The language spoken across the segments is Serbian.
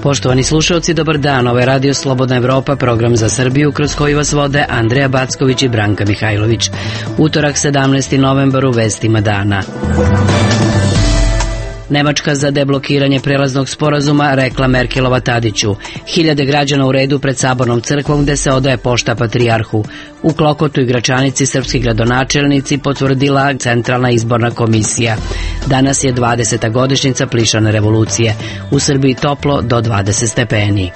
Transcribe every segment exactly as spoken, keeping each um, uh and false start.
Poštovani slušalci, dobar dan. Ovo je Radio Slobodna Evropa, program za Srbiju kroz koji vas vode Andreja Backović i Branka Mihajlović. Utorak sedamnaesti novembar u vestima dana. Nemačka za deblokiranje prelaznog sporazuma rekla Merkelova Tadiću. Hiljade građana u redu pred Sabornom crkvom gde se odaje pošta patrijarhu. U Klokotu i Gračanici srpski gradonačelnici potvrdila Centralna izborna komisija. Danas je dvadeseta godišnjica plišane revolucije. U Srbiji toplo do dvadeset stepeni.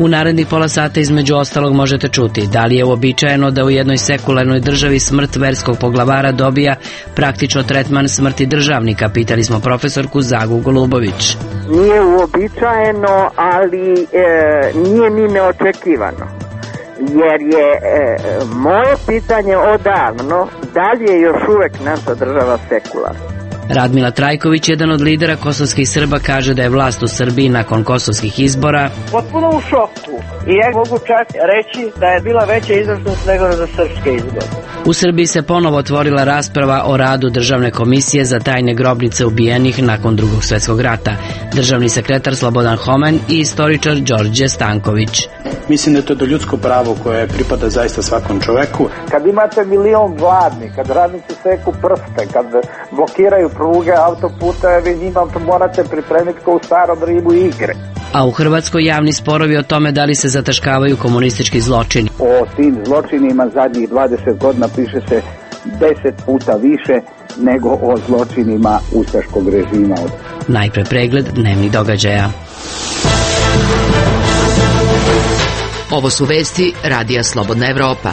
U narednih pola sata između ostalog možete čuti da li je uobičajeno da u jednoj sekularnoj državi smrt verskog poglavara dobija praktično tretman smrti državnika, pitali smo profesorku Zagu Golubović. Nije uobičajeno, ali e, nije ni neočekivano, jer je e, moje pitanje odavno da li je još uvek naša država sekularna. Radmila Trajković, jedan od lidera kosovskih Srba, kaže da je vlast u Srbiji nakon kosovskih izbora potpuno u šoku i ja mogu čak reći da je bila veća izvršnost nego za srpske izbore. U Srbiji se ponovo otvorila rasprava o radu Državne komisije za tajne grobnice ubijenih nakon Drugog svjetskog rata. Državni sekretar Slobodan Homen i istoričar Đorđe Stanković. Mislim da je to do ljudsko pravo koje pripada zaista svakom čoveku. Kad imate milion gladni, kad radnici seku prste, kad blokiraju pruge, autoputeve, vi njima morate pripremiti kao u starom Rimu igre. A u Hrvatskoj javni sporovi o tome da li se zataškavaju komunistički zločini. O tim zločinima zadnjih dvadeset godina piše se deset puta više nego o zločinima ustaškog režima. Najpre pregled dnevnih događaja. Ovo su vesti Radija Slobodna Evropa.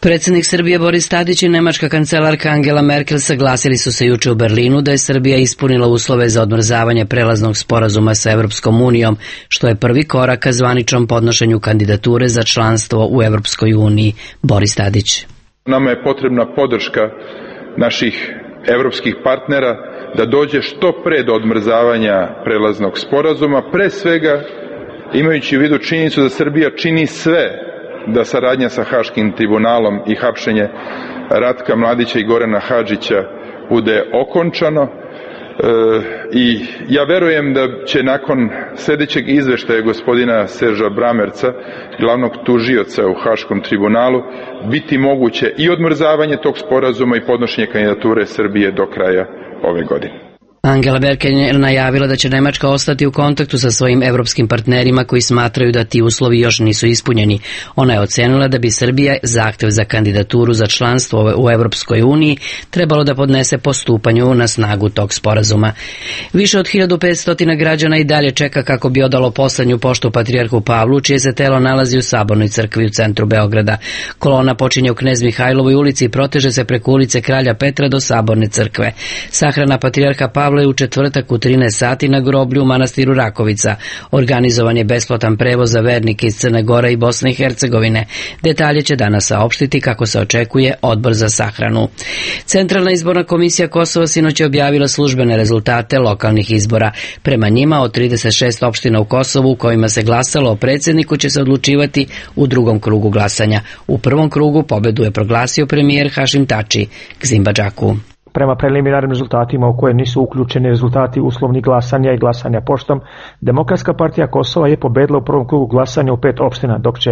Predsjednik Srbije Boris Tadić i nemačka kancelarka Angela Merkel saglasili su se juče u Berlinu da je Srbija ispunila uslove za odmrzavanje prelaznog sporazuma sa Evropskom unijom, što je prvi korak ka zvaničnom podnošenju kandidature za članstvo u Evropskoj uniji. Boris Tadić. Nama je potrebna podrška naših evropskih partnera da dođe što pre do odmrzavanja prelaznog sporazuma, pre svega imajući u vidu činjenicu da Srbija čini sve da saradnja sa Haškim tribunalom i hapšenje Ratka Mladića i Gorana Hadžića bude okončano. E, i ja verujem da će nakon sljedećeg izveštaja gospodina Serža Bramerca, glavnog tužioca u Haškom tribunalu, biti moguće i odmrzavanje tog sporazuma i podnošenje kandidature Srbije do kraja ove godine. Angela Merkel je najavila da će Nemačka ostati u kontaktu sa svojim evropskim partnerima koji smatraju da ti uslovi još nisu ispunjeni. Ona je ocenila da bi Srbija zahtev za kandidaturu za članstvo u Evropskoj uniji trebalo da podnese po stupanju na snagu tog sporazuma. Više od hiljadu petsto građana i dalje čeka kako bi odalo poslednju poštu patrijarhu Pavlu, čije se telo nalazi u Sabornoj crkvi u centru Beograda. Kolona počinje u Knez Mihajlovoj ulici i proteže se preko ulice Kralja Petra do Saborne crkve. Sahrana patrijarha Pavla je u četvrtak u trinaest sati na groblju u manastiru Rakovica. Organizovan je besplatan prevoz za vernike iz Crne Gore i Bosne i Hercegovine. Detalje će danas saopštiti, kako se očekuje, Odbor za sahranu. Centralna izborna komisija Kosova sinoć je objavila službene rezultate lokalnih izbora. Prema njima, od trideset šest opština u Kosovu u kojima se glasalo o predsjedniku će se odlučivati u drugom krugu glasanja. U prvom krugu pobedu je proglasio premijer Hašim Tači. Gzimbadžaku. Prema preliminarnim rezultatima u koje nisu uključeni rezultati uslovnih glasanja i glasanja poštom, Demokratska partija Kosova je pobedila u prvom krugu glasanja u pet opština, dok će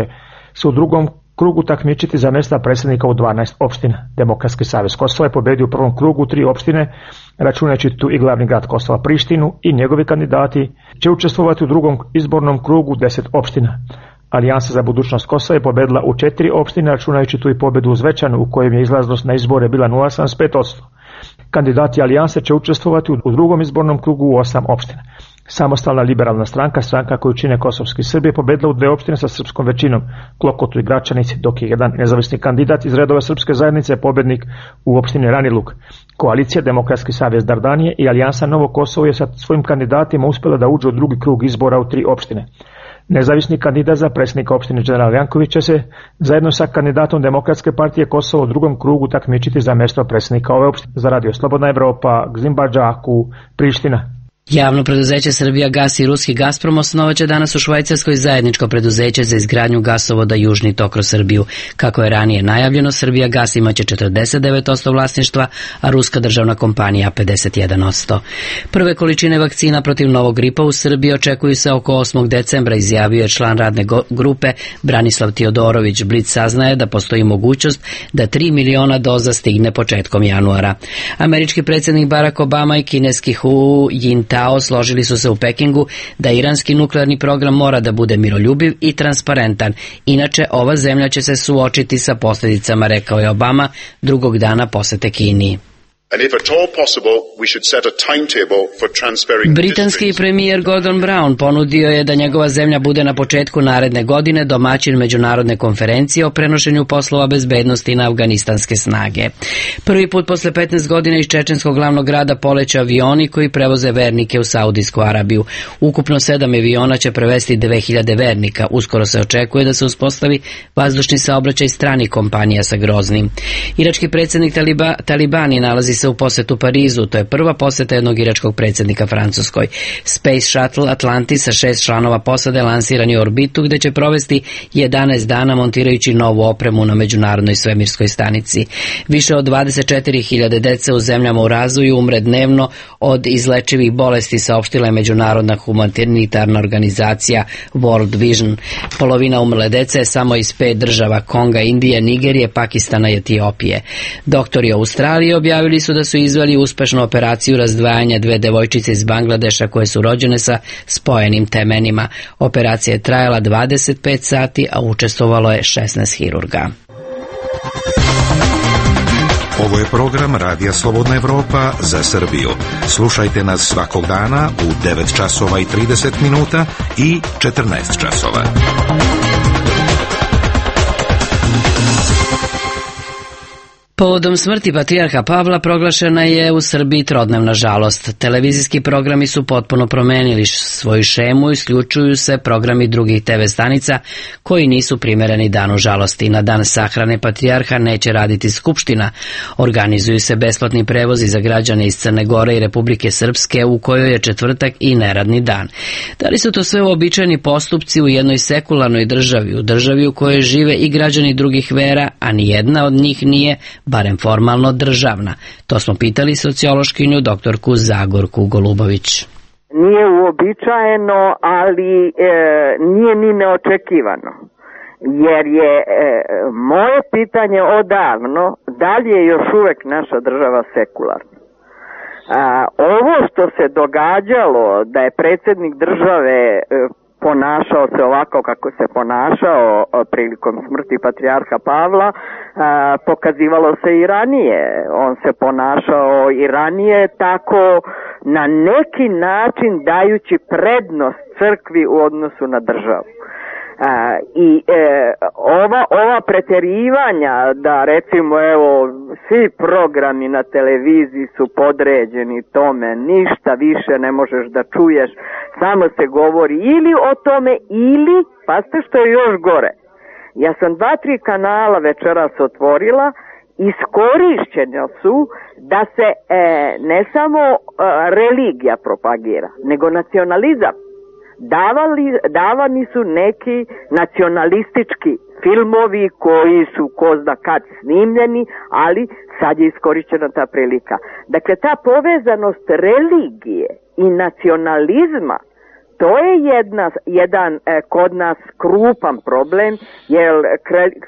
se u drugom krugu takmičiti za mjesta predsjednika u dvanaest opština. Demokratski savez Kosova je pobedio u prvom krugu tri opštine, računajući tu i glavni grad Kosova Prištinu, i njegovi kandidati će učestvovati u drugom izbornom krugu deset opština. Alijansa za budućnost Kosova je pobedila u četiri opštine, računajući tu i pobedu u Zvečanu, u kojem je izlaznost na izbore bila nula zarez sedamdeset pet posto. Kandidati Alijanse će učestvovati u drugom izbornom krugu u osam opština. Samostalna liberalna stranka, stranka koju čine kosovski Srbi, je pobedila u dve opštine sa srpskom većinom, Klokotu i Gračanici, dok je jedan nezavisni kandidat iz redova srpske zajednice pobednik u opštini Ranilug. Koalicija Demokratski savez Dardanije i Alijansa Novo Kosovo je sa svojim kandidatima uspjela da uđe u drugi krug izbora u tri opštine. Nezavisni kandidat za predsjednika opštine General Janković će se zajedno sa kandidatom Demokratske partije Kosovo u drugom krugu takmičiti za mjesto predsjednika ove opštine. Za Radio Slobodna Evropa, Gzimbadžaku, Priština. Javno preduzeće Srbija gas i ruski Gazprom osnovaće danas u Švajcarskoj zajedničko preduzeće za izgradnju gasovoda Južni tok kroz Srbiju. Kako je ranije najavljeno, Srbija gas imaće četrdeset devet posto vlasništva, a ruska državna kompanija pedeset jedan posto. Prve količine vakcina protiv novog gripa u Srbiji očekuju se oko osmog decembra, izjavio je član radne grupe Branislav Tiodorović. Blic saznaje da postoji mogućnost da tri miliona doza stigne početkom januara. Američki predsjednik Barack Obama i kineski Hu Jintao složili su se u Pekingu da iranski nuklearni program mora da bude miroljubiv i transparentan, inače ova zemlja će se suočiti sa posljedicama, rekao je Obama drugog dana posete Kini. Britanski premijer Gordon Brown ponudio je da njegova zemlja bude na početku naredne godine domaćin međunarodne konferencije o prenošenju poslova bezbednosti na afganistanske snage. Prvi put posle petnaest godina iz čečenskog glavnog grada poleće avioni koji prevoze vernike u Saudijsku Arabiju. Ukupno sedam aviona će prevesti dve hiljade vernika. Uskoro se očekuje da se uspostavi vazdušni saobraćaj stranih kompanija sa Groznim. Irački predsjednik Taliba, Talibani nalazi se u posetu Parizu. To je prva poseta jednog iračkog predsjednika Francuskoj. Space Shuttle Atlantis sa šest članova posade lansiran je u orbitu gde će provesti jedanaest dana montirajući novu opremu na međunarodnoj svemirskoj stanici. Više od dvadeset četiri hiljade dece u zemljama u razvoju umre dnevno od izlečivih bolesti, saopštila je međunarodna humanitarna organizacija World Vision. Polovina umrle dece je samo iz pet država: Konga, Indije, Nigerije, Pakistana i Etiopije. Doktori Australije objavili su da su izveli uspešnu operaciju razdvajanja dve devojčice iz Bangladeša koje su rođene sa spojenim temenima. Operacija je trajala dvadeset pet sati, a učestvovalo je šesnaest hirurga. Ovo je program Radija Slobodna Evropa za Srbiju. Slušajte nas svakog dana u devet časova i trideset minuta i četrnaest časova. Povodom smrti patrijarha Pavla proglašena je u Srbiji trodnevna žalost. Televizijski programi su potpuno promenili svoju šemu, isključuju se programi drugih te ve stanica koji nisu primereni danu žalosti. Na dan sahrane patrijarha neće raditi skupština. Organizuju se besplatni prevozi za građane iz Crne Gore i Republike Srpske, u kojoj je četvrtak i neradni dan. Da li su to sve uobičajeni postupci u jednoj sekularnoj državi, u državi u kojoj žive i građani drugih vera, a nijedna od njih nije barem formalno državna? To smo pitali sociološkinju doktorku Zagorku Golubović. Nije uobičajeno, ali e, nije ni neočekivano. Jer je e, moje pitanje odavno, da li je još uvek naša država sekularna? A, ovo što se događalo, da je predsjednik države e, ponašao se ovako kako se ponašao prilikom smrti patrijarha Pavla, a, pokazivalo se i ranije. On se ponašao i ranije tako, na neki način dajući prednost crkvi u odnosu na državu. A, I e, ova, ova preterivanja da recimo evo svi programi na televiziji su podređeni tome, ništa više ne možeš da čuješ, samo se govori ili o tome ili, pazite što je još gore, ja sam dva, tri kanala večeras otvorila, iskorišćene su da se e, ne samo e, religija propagira, nego nacionalizam. Davali, davani su neki nacionalistički filmovi koji su ko zna kad snimljeni, ali sad je iskorišćena ta prilika. Dakle, ta povezanost religije i nacionalizma, to je jedna, jedan e, kod nas krupan problem, jer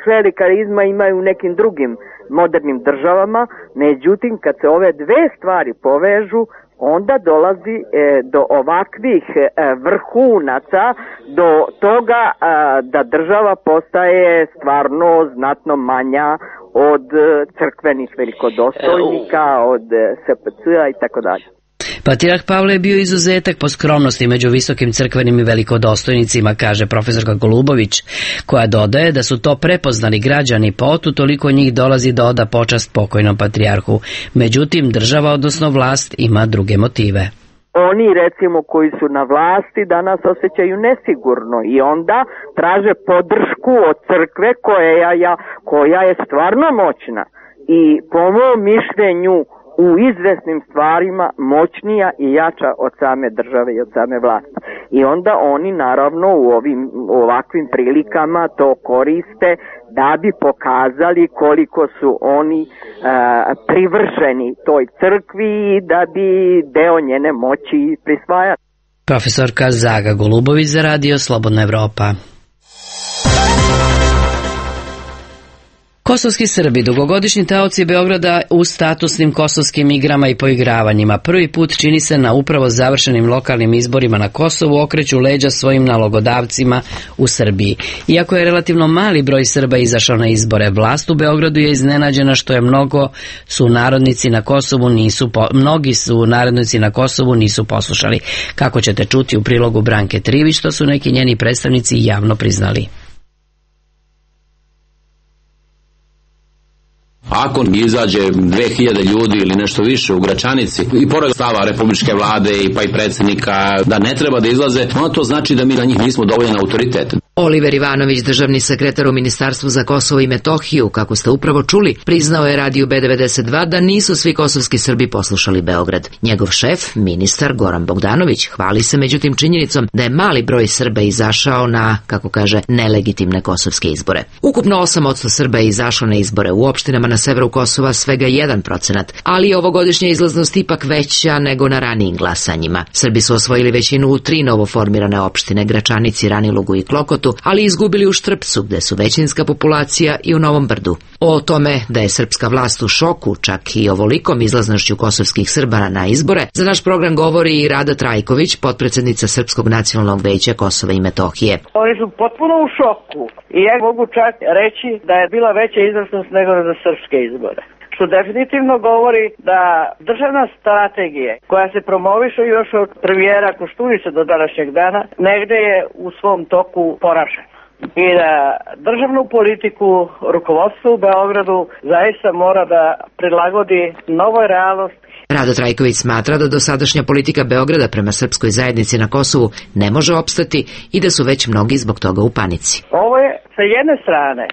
klerikalizma imaju u nekim drugim modernim državama, međutim kad se ove dve stvari povežu, onda dolazi e, do ovakvih e, vrhunaca, do toga e, da država postaje stvarno znatno manja od e, crkvenih velikodostojnika, od e, es pe ce-a i tako dalje. Patrijarh Pavle je bio izuzetak po skromnosti među visokim crkvenim i velikodostojnicima, kaže profesorka Golubović, koja dodaje da su to prepoznali građani, pa otu toliko njih dolazi da oda počast pokojnom patrijarhu. Međutim, država, odnosno vlast, ima druge motive. Oni, recimo, koji su na vlasti danas osjećaju nesigurno i onda traže podršku od crkve koja, ja, koja je stvarno moćna. I po mom mišljenju u izvesnim stvarima moćnija i jača od same države i od same vlasti. I onda oni naravno u ovim u ovakvim prilikama to koriste da bi pokazali koliko su oni e, privrženi toj crkvi i da bi deo njene moći prisvajali. Profesorka Zaga Golubović za Radio Slobodna Evropa. Kosovski Srbi, dugogodišnji taoci Beograda u statusnim kosovskim igrama i poigravanjima, prvi put čini se na upravo završenim lokalnim izborima na Kosovu okreću leđa svojim nalogodavcima u Srbiji. Iako je relativno mali broj Srba izašao na izbore, vlast u Beogradu je iznenađena što je mnogo su narodnici na Kosovu nisu po, mnogi su narodnici na Kosovu nisu poslušali. Kako ćete čuti u prilogu Branke Trivić, što su neki njeni predstavnici javno priznali. Ako izađe dve hiljade ljudi ili nešto više u Gračanici i pored stava republičke vlade i pa i predsjednika da ne treba da izlaze, ono to znači da mi na njih nismo dovoljan autoritet. Oliver Ivanović, državni sekretar u Ministarstvu za Kosovo i Metohiju, kako ste upravo čuli, priznao je radiju B devedeset dva da nisu svi kosovski Srbi poslušali Beograd. Njegov šef, ministar Goran Bogdanović, hvali se međutim činjenicom da je mali broj Srba izašao na, kako kaže, nelegitimne kosovske izbore. Ukupno osam posto Srba je izašlo na izbore, u opštinama na severu Kosova svega jedan procenat, ali je ovogodišnja izlaznost ipak veća nego na ranijim glasanjima. Srbi su osvojili većinu u tri novoformirane opštine, Gračanici, Ranilugu i Klokotu, ali izgubili u Štrpcu, gde su većinska populacija, i u Novom Brdu. O tome da je srpska vlast u šoku, čak i ovolikom izlaznošću kosovskih Srba na izbore, za naš program govori i Rada Trajković, potpredsednica Srpskog nacionalnog veća Kosova i Metohije. Oni su potpuno u šoku i ja mogu čak reći da je bila veća izlaznost nego za srpske izbore. Što definitivno govori da državna strategija koja se promoviše još od premijera Koštunice do današnjeg dana negde je u svom toku poražena. I da državnu politiku rukovodstvo u Beogradu zaista mora da prilagodi novoj realnosti. Rado Trajković smatra da dosadašnja politika Beograda prema srpskoj zajednici na Kosovu ne može opstati i da su već mnogi zbog toga u panici. Ovo je sa jedne strane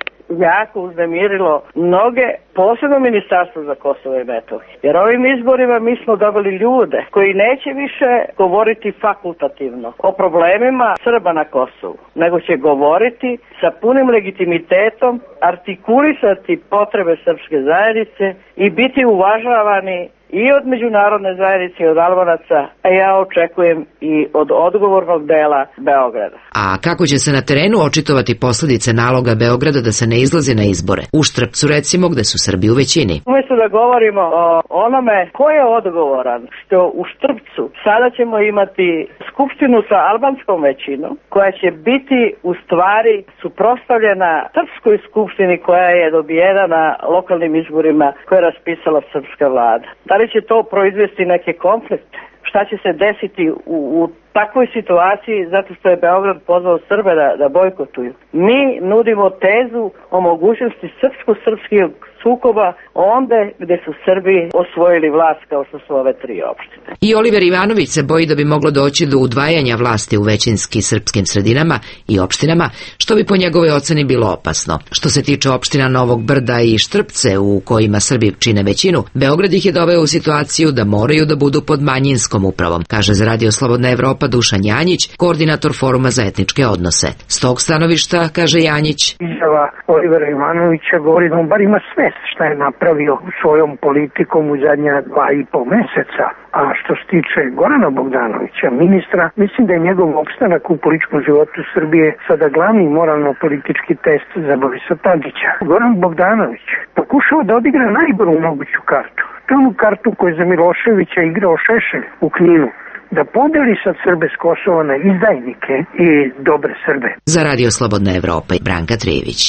jako uznemirilo mnoge, posebno Ministarstvo za Kosovo i Metohiju. Jer ovim izborima mi smo dobili ljude koji neće više govoriti fakultativno o problemima Srba na Kosovu, nego će govoriti sa punim legitimitetom, artikulisati potrebe srpske zajednice i biti uvažavani i od međunarodne zajednice i od Albanaca, a ja očekujem i od odgovornog dela Beograda. A kako će se na terenu očitovati posljedice naloga Beograda da se ne izlazi na izbore? U Štrpcu recimo, gde su Srbi u većini. Umjesto da govorimo o onome ko je odgovoran što u Štrpcu sada ćemo imati skupštinu sa albanskom većinom koja će biti u stvari suprotstavljena srpskoj skupštini koja je dobijena na lokalnim izborima koje je raspisala srpska vlada. Da li će to proizvesti neke konflikte? Šta će se desiti u, u takvoj situaciji zato što je Beograd pozvao Srbe da, da bojkotuju? Mi nudimo tezu o mogućnosti srpsko-srpskih sukoba onda gde su Srbi osvojili vlast kao što su ove tri opštine. I Oliver Ivanović se boji da bi moglo doći do udvajanja vlasti u većinski srpskim sredinama i opštinama, što bi po njegovoj oceni bilo opasno. Što se tiče opština Novog Brda i Štrpce, u kojima Srbi čine većinu, Beograd ih je doveo u situaciju da moraju da budu pod manjinskom upravom, kaže za Radio Slobodna Evropa Dušan Janjić, koordinator Foruma za etničke odnose. S tog stanovišta, kaže Janjić, izjava Olivera Ivanovića govori da on bar ima sve šta je napravio svojom politikom u zadnja dva i po meseca. A što se tiče Gorana Bogdanovića, ministra, mislim da je njegov opstanak u političkom životu Srbije sada glavni moralno-politički test za Borisa Tadića. Goran Bogdanović pokušao da odigra najboru moguću kartu. To je onu kartu koju je za Miloševića igrao Šešelj u Kninu. Da podeli sad Srbe s Kosova na izdajnike i dobre Srbe. Za Radio Slobodna Evropa i Branka Trijević.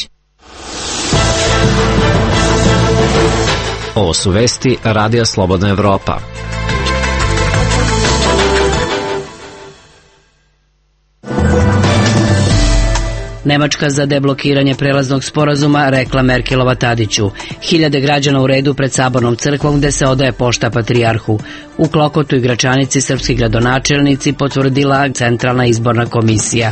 Ovo su vesti Radija Slobodna Evropa. Nemačka za deblokiranje prelaznog sporazuma, rekla Merkelova Tadiću. Hiljade građana u redu pred Sabornom crkvom gde se odaje pošta patrijarhu. U Klokotu i Gračanici srpski gradonačelnici potvrdila Centralna izborna komisija.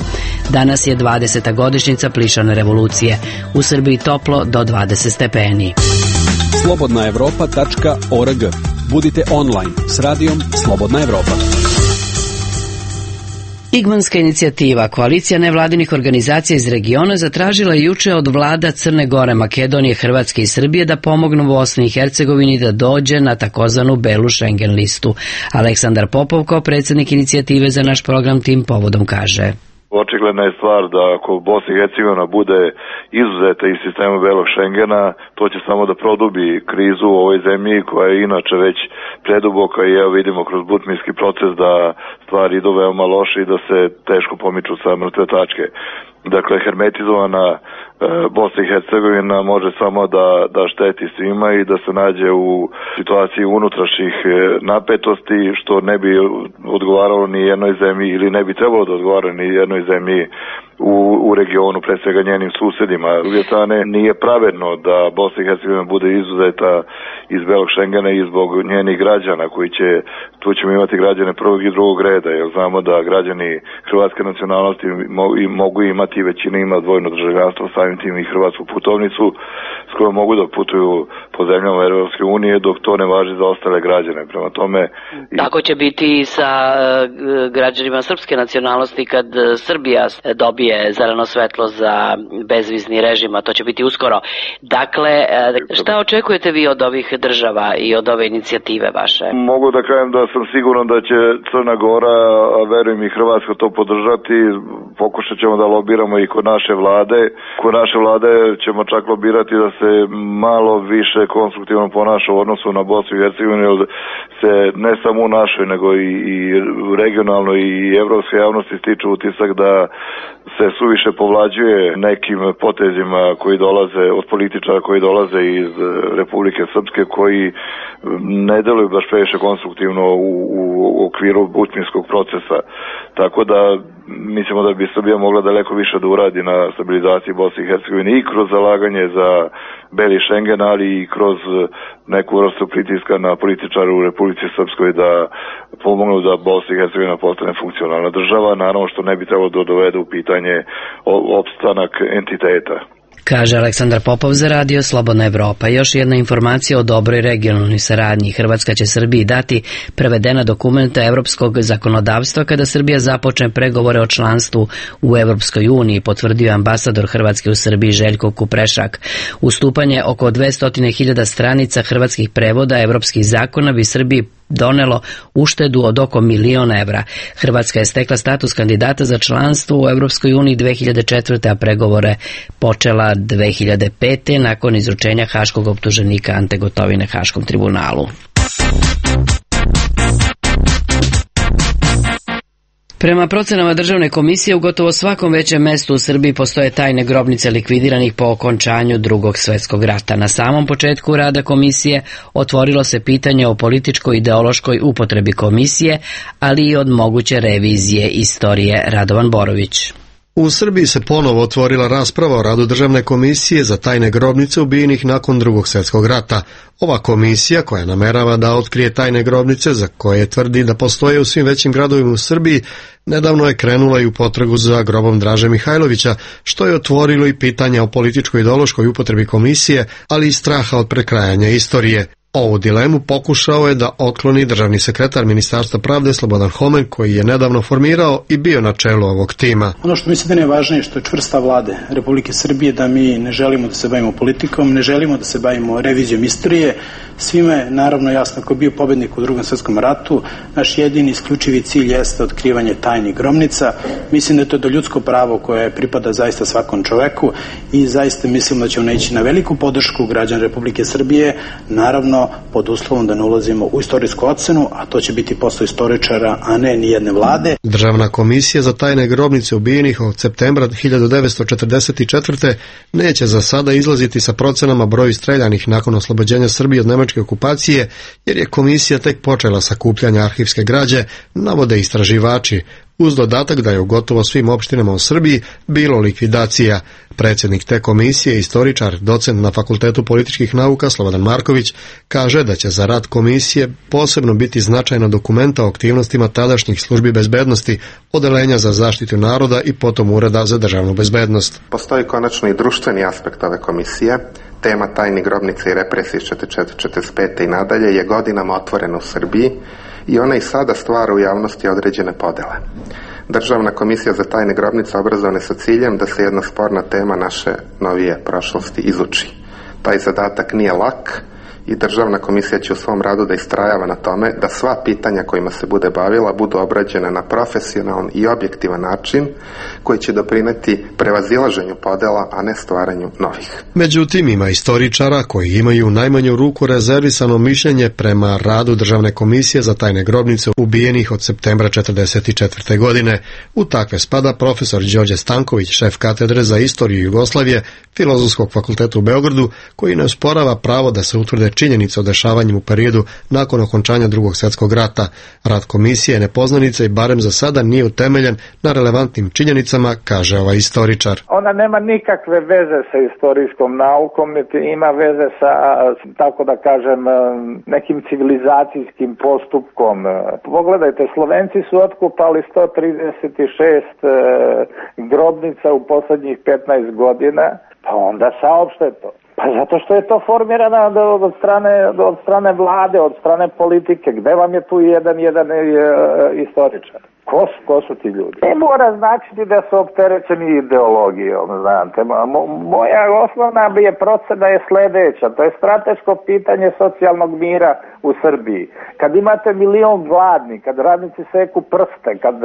Danas je dvadeseta godišnjica plišane revolucije. U Srbiji toplo do dvadeset stepeni. slobodna evropa tačka org. Budite online s radijom Slobodna Evropa. Igmanska inicijativa, koalicija nevladinih organizacija iz regiona, zatražila je juče od vlada Crne Gore, Makedonije, Hrvatske i Srbije da pomognu Bosni i Hercegovini da dođe na takozvanu belu Schengen listu. Aleksandar Popov, kao predsjednik inicijative za naš program, tim povodom kaže: Očigledna je stvar da ako Bosna i Hercegovina bude izuzeta iz sistema belog Schengena, to će samo da produbi krizu u ovoj zemlji koja je inače već preduboka i evo vidimo kroz butminski proces da stvari idu veoma loše i da se teško pomiču sa mrtve tačke. Dakle, hermetizovana e, Bosna i Hercegovina može samo da, da šteti svima i da se nađe u situaciji unutrašnjih napetosti, što ne bi odgovaralo ni jednoj zemlji ili ne bi trebalo da odgovara ni jednoj zemlji u, u regionu, pre svega njenim susedima. S druge strane, nije pravedno da Bosna i Hercegovina bude izuzeta iz belog Schengena i zbog njenih građana koji će, tu ćemo imati građane prvog i drugog reda, jer znamo da građani hrvatske nacionalnosti mogu, mogu imati, većina ima dvojno državljanstvo, samim tim i hrvatsku putovnicu s kojom mogu da putuju po zemljama Europske unije, dok to ne važi za ostale građane. Prema tome... I... Tako će biti i sa uh, građanima srpske nacionalnosti kad uh, Srbija dobije zeleno svetlo za bezvizni režim, a to će biti uskoro. Dakle, šta očekujete vi od ovih država i od ove inicijative vaše? Mogu da kažem da sam siguran da će Crna Gora, a verujem i Hrvatska, to podržati. Pokušat ćemo da lobiramo i kod naše vlade. Kod naše vlade ćemo čak lobirati da se malo više konstruktivno ponaša u odnosu na Bosnu i Hercegovinu, jer se ne samo u našoj, nego i, i regionalno i evropske javnosti stiču utisak da se suviše povlađuje nekim potezima koji dolaze od političara koji dolaze iz Republike Srpske, koji ne deluju baš previše konstruktivno u, u okviru butminskog procesa. Tako da mislimo da bi Srbija mogla daleko više da uradi na stabilizaciji Bosne i Hercegovine i kroz zalaganje za beli Schengen, ali i kroz neku vrstu pritiska na političare u Republici Srpskoj da pomognu da Bosna i Hercegovina postane funkcionalna država, naravno što ne bi trebalo da dovede u pitanje opstanak entiteta. Kaže Aleksandar Popov za radio Slobodna Evropa. Još jedna informacija o dobroj regionalnoj saradnji. Hrvatska će Srbiji dati prevedena dokumenta evropskog zakonodavstva kada Srbija započne pregovore o članstvu u Evropskoj uniji, potvrdio ambasador Hrvatske u Srbiji Željko Kuprešak. Ustupanje oko dvesta hiljada stranica hrvatskih prevoda evropskih zakona bi Srbiji donelo uštedu od oko milion evra. Hrvatska je stekla status kandidata za članstvo u Evropskoj uniji dve hiljade četvrte. a pregovore počela dve hiljade pete. nakon izručenja haškog optuženika Ante Gotovine Haškom tribunalu. Prema procenama državne komisije, u gotovo svakom većem mestu u Srbiji postoje tajne grobnice likvidiranih po okončanju Drugog svjetskog rata. Na samom početku rada komisije otvorilo se pitanje o političko-ideološkoj upotrebi komisije, ali i od moguće revizije istorije. Radovan Borović. U Srbiji se ponovo otvorila rasprava o radu Državne komisije za tajne grobnice ubijenih nakon Drugog svjetskog rata. Ova komisija, koja namerava da otkrije tajne grobnice za koje tvrdi da postoje u svim većim gradovima u Srbiji, nedavno je krenula i u potragu za grobom Draže Mihajlovića, što je otvorilo i pitanja o političko-ideološkoj upotrebi komisije, ali i straha od prekrajanja istorije. Ovu dilemu pokušao je da otkloni državni sekretar Ministarstva pravde Slobodan Homen, koji je nedavno formirao i bio na čelu ovog tima. Ono što mislim da je najvažnije što je čvrsta vlade Republike Srbije, da mi ne želimo da se bavimo politikom, ne želimo da se bavimo revizijom istorije. Svima je naravno jasno ko je bio pobednik u Drugom svjetskom ratu. Naš jedini isključivi cilj jeste otkrivanje tajnih grobnica. Mislim da je to do ljudsko pravo koje pripada zaista svakom čoveku i zaista mislim da ćemo naići na veliku podršku građana Republike Srbije, naravno pod uslovom da ne ulazimo u istorijsku ocenu, a to će biti posao istoričara, a ne ni jedne vlade. Državna komisija za tajne grobnice ubijenih od septembra hiljadu devetsto četrdeset četvrte. neće za sada izlaziti sa procenama broju streljanih nakon oslobođenja Srbije od nemačke okupacije, jer je komisija tek počela sakupljanje arhivske građe, navode istraživači, uz dodatak da je u gotovo svim opštinama u Srbiji bilo likvidacija. Predsjednik te komisije, istoričar, docent na Fakultetu političkih nauka Slobodan Marković, kaže da će za rad komisije posebno biti značajna dokumenta o aktivnostima tadašnjih službi bezbednosti, odeljenja za zaštitu naroda i potom Ureda za državnu bezbednost. Postoji konačno i društveni aspekt ove komisije. tema tajnih grobnica i represije iz četrdeset četvrte do četrdeset pete i nadalje je godinama otvorena u Srbiji i ona i sada stvara u javnosti određene podele. Državna komisija za tajne grobnice obrazovana je sa ciljem da se jedna sporna tema naše novije prošlosti izuči. Taj zadatak nije lak i Državna komisija će u svom radu da istrajava na tome da sva pitanja kojima se bude bavila budu obrađena na profesionalan i objektivan način koji će doprineti prevazilaženju podela, a ne stvaranju novih. Međutim, ima istoričara koji imaju u najmanju ruku rezervisano mišljenje prema radu Državne komisije za tajne grobnice ubijenih od septembra četrdeset četvrte. godine. U takve spada profesor Đorđe Stanković, šef katedre za istoriju Jugoslavije Filozofskog fakulteta u Beogradu, koji ne osporava pravo da se utvrde činjenice o dešavanju u periodu nakon okončanja Drugog svjetskog rata. Rad komisije je nepoznanica i barem za sada nije utemeljen na relevantnim činjenicama, kaže ovaj istoričar. Ona nema nikakve veze sa istorijskom naukom, niti ima veze sa, tako da kažem, nekim civilizacijskim postupkom. Pogledajte, Slovenci su otkupali sto trideset šest grobnica u posljednjih petnaest godina, pa onda saopšte to. Pa zato što je to formirano od strane, od strane vlade, od strane politike. Gde vam je tu jedan, jedan istoričar? Ko su, ko su ti ljudi? Ne mora značiti da su opterećeni ideologijom, znate. Moja osnovna je procena je sledeća. To je strateško pitanje socijalnog mira u Srbiji. Kad imate milion gladni, kad radnici seku prste, kad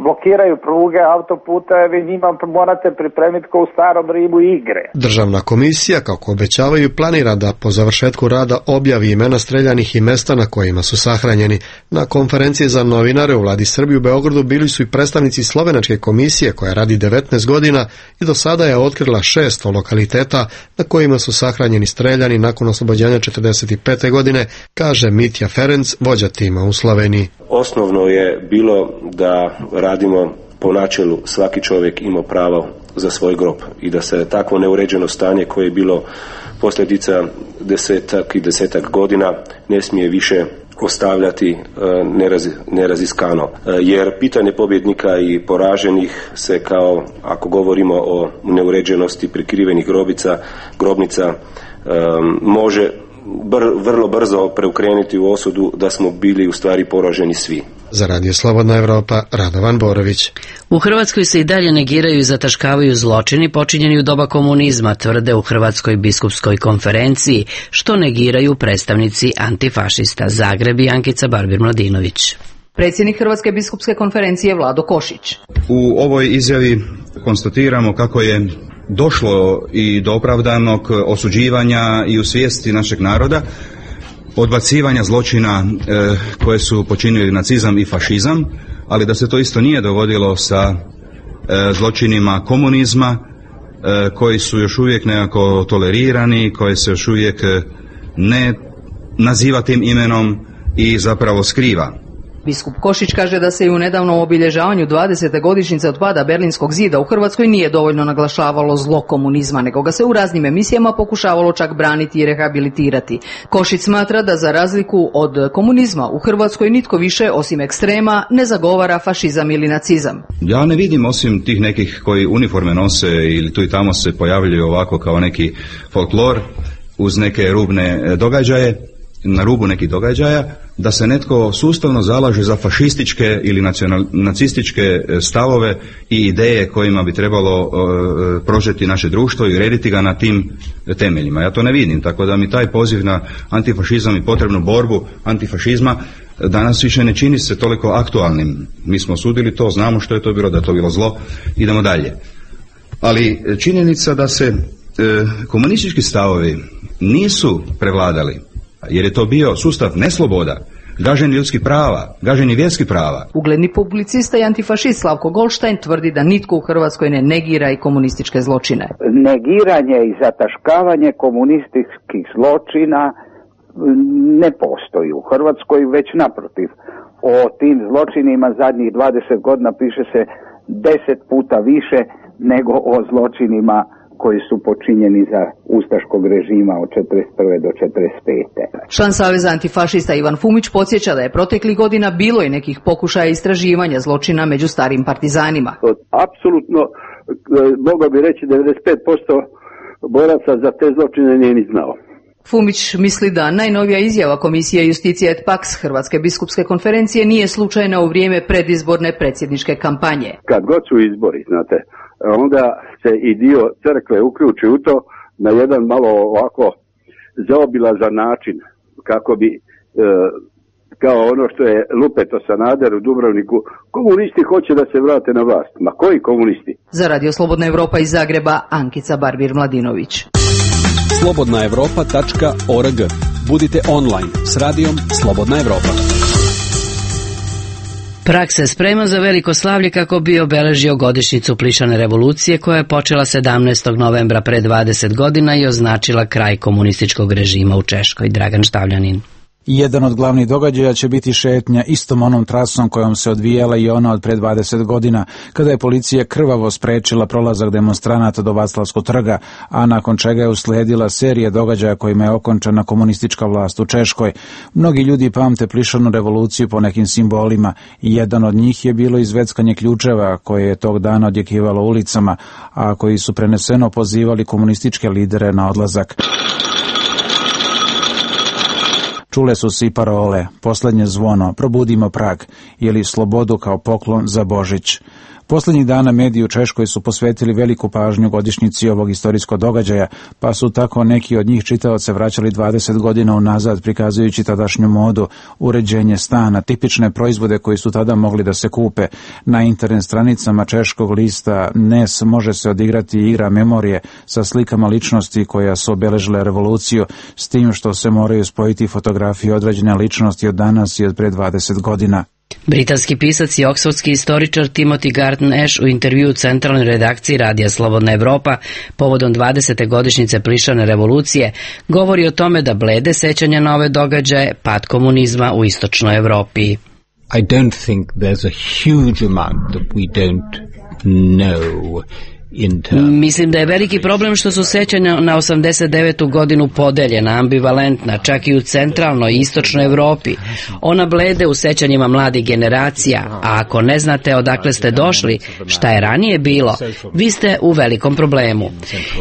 blokiraju pruge, autoputeve, njima morate pripremiti kao u starom Rimu igre. Državna komisija, kako obećavaju, planira da po završetku rada objavi imena streljanih i mesta na kojima su sahranjeni. Na konferenciji za novinare u Vladi Srbije u Beogradu bili su i predstavnici Slovenačke komisije koja radi devetnaest godina i do sada je otkrila šest lokaliteta na kojima su sahranjeni streljani nakon oslobođenja četrdeset pete. godine, kaže Mitja Ferenc, vođa tima u Sloveniji. Osnovno je bilo da radimo po načelu svaki čovjek ima pravo za svoj grob i da se takvo neuređeno stanje koje je bilo posljedica desetak i desetak godina ne smije više ostavljati neraz, neraziskano. Jer pitanje pobjednika i poraženih se kao, ako govorimo o neuređenosti prikrivenih grobica, grobnica, može br, vrlo brzo preukrenuti u osudu da smo bili u stvari poraženi svi. Za Radio Slobodna Evropa, Radovan Borović. U Hrvatskoj se i dalje negiraju i zataškavaju zločini počinjeni u doba komunizma, tvrde u Hrvatskoj biskupskoj konferenciji, što negiraju predstavnici antifašista. Zagreb i Ankica Barbir-Mladinović. Predsjednik Hrvatske biskupske konferencije Vlado Košić. U ovoj izjavi konstatiramo kako je došlo i do opravdanog osuđivanja i u svijesti našeg naroda odbacivanja zločina e, koje su počinili nacizam i fašizam, ali da se to isto nije dogodilo sa e, zločinima komunizma e, koji su još uvijek nekako tolerirani, koji se još uvijek ne naziva tim imenom i zapravo skriva. Biskup Košić kaže da se i u nedavnom obilježavanju dvadesete godišnjice od pada Berlinskog zida u Hrvatskoj nije dovoljno naglašavalo zlo komunizma, nego ga se u raznim emisijama pokušavalo čak braniti i rehabilitirati. Košić smatra da za razliku od komunizma u Hrvatskoj nitko više osim ekstrema ne zagovara fašizam ili nacizam. Ja ne vidim osim tih nekih koji uniforme nose ili tu i tamo se pojavljuju ovako kao neki folklor uz neke rubne događaje, na rubu nekih događaja, da se netko sustavno zalaže za fašističke ili nacional, nacističke stavove i ideje kojima bi trebalo uh, prožeti naše društvo i urediti ga na tim temeljima. Ja to ne vidim, tako da mi taj poziv na antifašizam i potrebnu borbu antifašizma danas više ne čini se toliko aktualnim. Mi smo osudili to, znamo što je to bilo, da je to bilo zlo, idemo dalje. Ali činjenica da se uh, komunistički stavovi nisu prevladali, jer je to bio sustav nesloboda, gaženje ljudskih prava, gaženje vjerskih prava. Ugledni publicista i antifašist Slavko Goldstein tvrdi da nitko u Hrvatskoj ne negira i komunističke zločine. Negiranje i zataškavanje komunističkih zločina ne postoji u Hrvatskoj, već naprotiv. O tim zločinima zadnjih dvadeset godina piše se deset puta više nego o zločinima koji su počinjeni za ustaškog režima od četrdeset prve do četrdeset pete. Član Saveza antifašista Ivan Fumić podsjeća da je proteklih godina bilo i nekih pokušaja istraživanja zločina među starim partizanima. Apsolutno, mogao bi reći devedeset pet posto boraca za te zločine nije ni znao. Fumić misli da najnovija izjava Komisije Justicije et Pax Hrvatske biskupske konferencije nije slučajna u vrijeme predizborne predsjedničke kampanje. Kad god su izbori, znate, onda se i dio crkve uključi u to na jedan malo ovako zaobilazan način, kako bi, e, kao ono što je lupeto Sanader u Dubrovniku, komunisti hoće da se vrate na vlast. Ma koji komunisti? Za Radio Slobodna Evropa iz Zagreba, Ankica Barbir-Mladinović. slobodna evropa tačka org. Budite online s radijom Slobodna Evropa. Prag se sprema za veliko slavlje kako bi obeležio godišnjicu Plišane revolucije koja je počela sedamnaestog novembra pre dvadeset godina i označila kraj komunističkog režima u Češkoj. Dragan Štavljanin. Jedan od glavnih događaja će biti šetnja istom onom trasom kojom se odvijala i ona od pre dvadeset godina, kada je policija krvavo sprečila prolazak demonstranata do Vaclavskog trga, a nakon čega je usledila serija događaja kojima je okončana komunistička vlast u Češkoj. Mnogi ljudi pamte Plišanu revoluciju po nekim simbolima i jedan od njih je bilo izveckanje ključeva koje je tog dana odjekivalo ulicama, a koji su preneseno pozivali komunističke lidere na odlazak. Čule su se i parole, posljednje zvono, probudimo Prag, ili slobodu kao poklon za Božić. Poslednjih dana mediji u Češkoj su posvetili veliku pažnju godišnjici ovog istorijskog događaja, pa su tako neki od njih čitaoce vraćali dvadeset godina unazad, prikazujući tadašnju modu, uređenje stana, tipične proizvode koji su tada mogli da se kupe. Na internet stranicama češkog lista N E S može se odigrati igra memorije sa slikama ličnosti koja su obeležile revoluciju, s tim što se moraju spojiti fotografije određene ličnosti od danas i od pre dvadeset godina. Britanski pisac i oksfordski istoričar Timothy Garton Ash u intervju u centralnoj redakciji Radija Slobodna Evropa povodom dvadesete godišnjice Plišane revolucije govori o tome da blede sećanja na ove događaje pad komunizma u istočnoj Evropi. I don't think there's a huge amount that we don't know. Mislim da je veliki problem što su sećanja na osamdeset devetu godinu podeljena, ambivalentna, čak i u centralnoj i istočnoj Evropi. Ona blede u sećanjima mladih generacija, a ako ne znate odakle ste došli, šta je ranije bilo, vi ste u velikom problemu.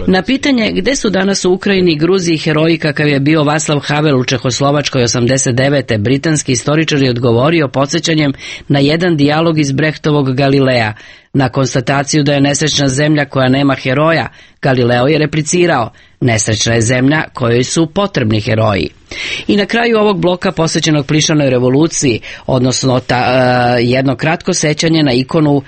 Na pitanje gde su danas u Ukrajini i Gruziji heroji kakav je bio Václav Havel u Čehoslovačkoj osamdeset devete britanski istoričar je odgovorio podsjećanjem na jedan dijalog iz Brechtovog Galilea. Na konstataciju da je nesrećna zemlja koja nema heroja, Galileo je replicirao, nesrećna je zemlja kojoj su potrebni heroji. I na kraju ovog bloka posvećenog Plišanoj revoluciji, odnosno ta, uh, jedno kratko sećanje na ikonu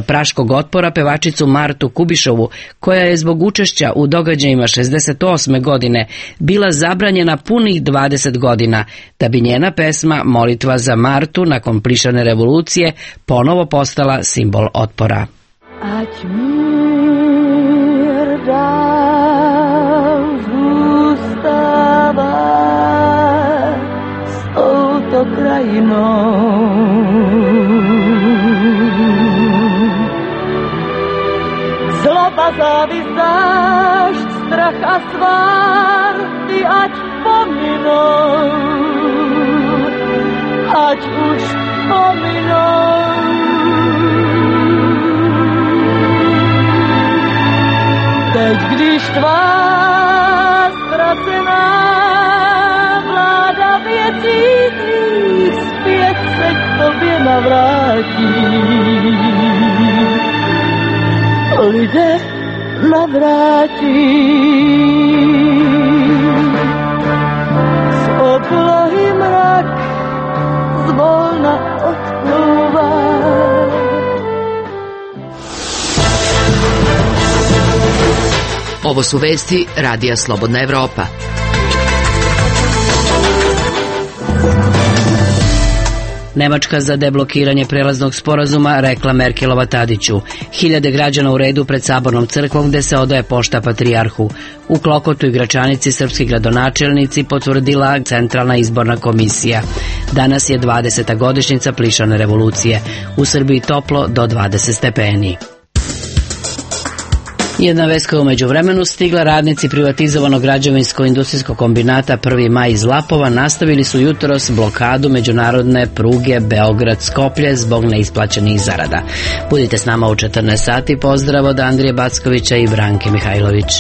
praškog otpora, pevačicu Martu Kubišovu, koja je zbog učešća u događajima šezdeset osme godine bila zabranjena punih dvadeset godina, da bi njena pesma Molitva za Martu nakon Plišane revolucije ponovo postala simbol otpora. Ať mir dál zůstává s touto krajinou. Zloba, závist, zášť, strach a svár, ty ať pominou, ať už pominou. Teď, když tvá ztracená vláda věcí tvých zpět se k tobě navrátí, lidé navrátí. Z oblohy mrak zvolna odplouvá. Ovo su vesti Radija Slobodna Evropa. Nemačka za deblokiranje prelaznog sporazuma rekla Merkelova Tadiću. Hiljade građana u redu pred Sabornom crkvom gde se odaje pošta patrijarhu. U Klokotu i Gračanici srpski gradonačelnici potvrdila Centralna izborna komisija. Danas je dvadeseta godišnjica Plišane revolucije. U Srbiji toplo do dvadeset stepeni. Jedna vest koja je umeđu vremenu stigla, radnici privatizovanog građevinsko-industrijskog kombinata Prvi maj iz Lapova nastavili su jutros blokadu međunarodne pruge Beograd-Skoplje zbog neisplaćenih zarada. Budite s nama u četrnaest sati. Pozdrav od Andrije Backovića i Branke Mihajlović.